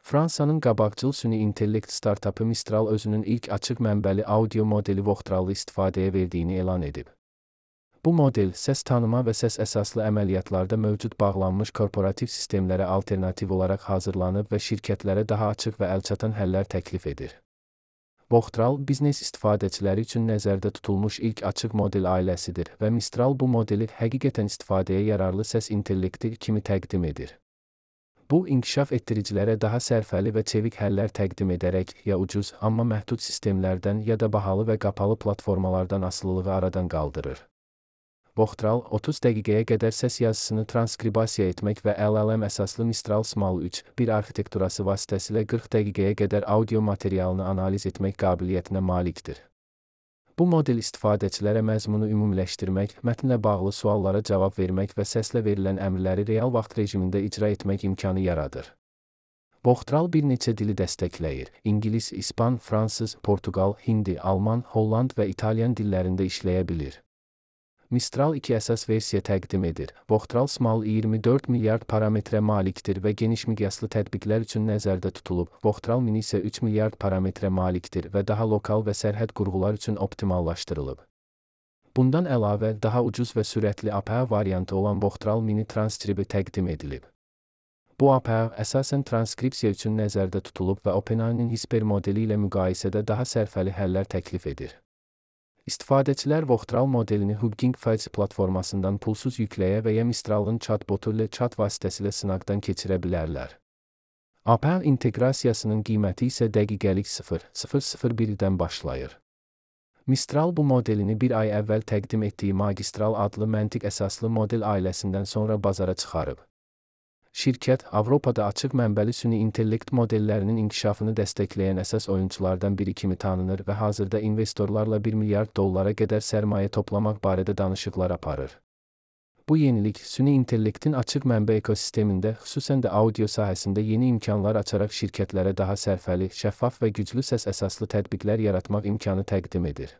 Fransanın qabaqcıl süni intellekt startapı Mistral özünün ilk açıq mənbəli audio modeli Voxtralı istifadəyə verdiyini elan edib. Bu model, səs tanıma və səs əsaslı əməliyyatlarda mövcud bağlanmış korporativ sistemlərə alternativ olaraq hazırlanıb və şirkətlərə daha açıq və əlçatan həllər təklif edir. Voxtral, biznes istifadəçiləri üçün nəzərdə tutulmuş ilk açıq model ailəsidir və Mistral bu modeli həqiqətən istifadəyə yararlı səs intellekti kimi təqdim edir. Bu, inkişaf etdiricilərə daha sərfəli və çevik həllər təqdim edərək, ya ucuz, amma məhdud sistemlərdən ya da bahalı və qapalı platformalardan asılılığı aradan qaldırır. Voxtral, 30 dəqiqəyə qədər səs yazısını transkribasiya etmək və LLM əsaslı Mistral Small 3.1 arxitekturası vasitəsilə 40 dəqiqəyə qədər audio materialını analiz etmək qabiliyyətinə malikdir. Bu model istifadəçilərə məzmunu ümumiləşdirmək, mətnlə bağlı suallara cavab vermək və səslə verilən əmrləri real vaxt rejimində icra etmək imkanı yaradır. Voxtral bir neçə dili dəstəkləyir. İngilis, İspan, Fransız, Portugal, Hindi, Alman, Holland və İtalyan dillərində işləyə bilir. Mistral 2 əsas versiya təqdim edir. Voxtral Small 24 milyard parametrə malikdir və geniş miqyaslı tətbiqlər üçün nəzərdə tutulub. Voxtral Mini isə 3 milyard parametrə malikdir və daha lokal və sərhəd qurğular üçün optimallaşdırılıb. Bundan əlavə, daha ucuz və sürətli APA variantı olan Voxtral Mini Transcribe təqdim edilib. Bu APA əsasən transkripsiya üçün nəzərdə tutulub və OpenAI'nin Hisper modeli ilə müqayisədə daha sərfəli həllər təklif edir. İstifadəçilər Voxtral modelini Hugging Face platformasından pulsuz yükləyə və ya Mistral'ın chatbotu ilə chat vasitəsilə sınaqdan keçirə bilərlər. APA inteqrasiyasının qiyməti isə dəqiqəlik 0,001-dən başlayır. Mistral bu modelini bir ay əvvəl təqdim etdiyi Magistral adlı məntiq əsaslı model ailəsindən sonra bazara çıxarıb. Şirkət, Avropada açıq mənbəli süni intellekt modellərinin inkişafını dəstəkləyən əsas oyunculardan biri kimi tanınır və hazırda investorlarla $1 milyard qədər sərmayə toplamaq barədə danışıqlar aparır. Bu yenilik, süni intellektin açıq mənbə ekosistemində, xüsusən də audio sahəsində yeni imkanlar açaraq şirkətlərə daha sərfəli, şəffaf və güclü səs əsaslı tətbiqlər yaratmaq imkanı təqdim edir.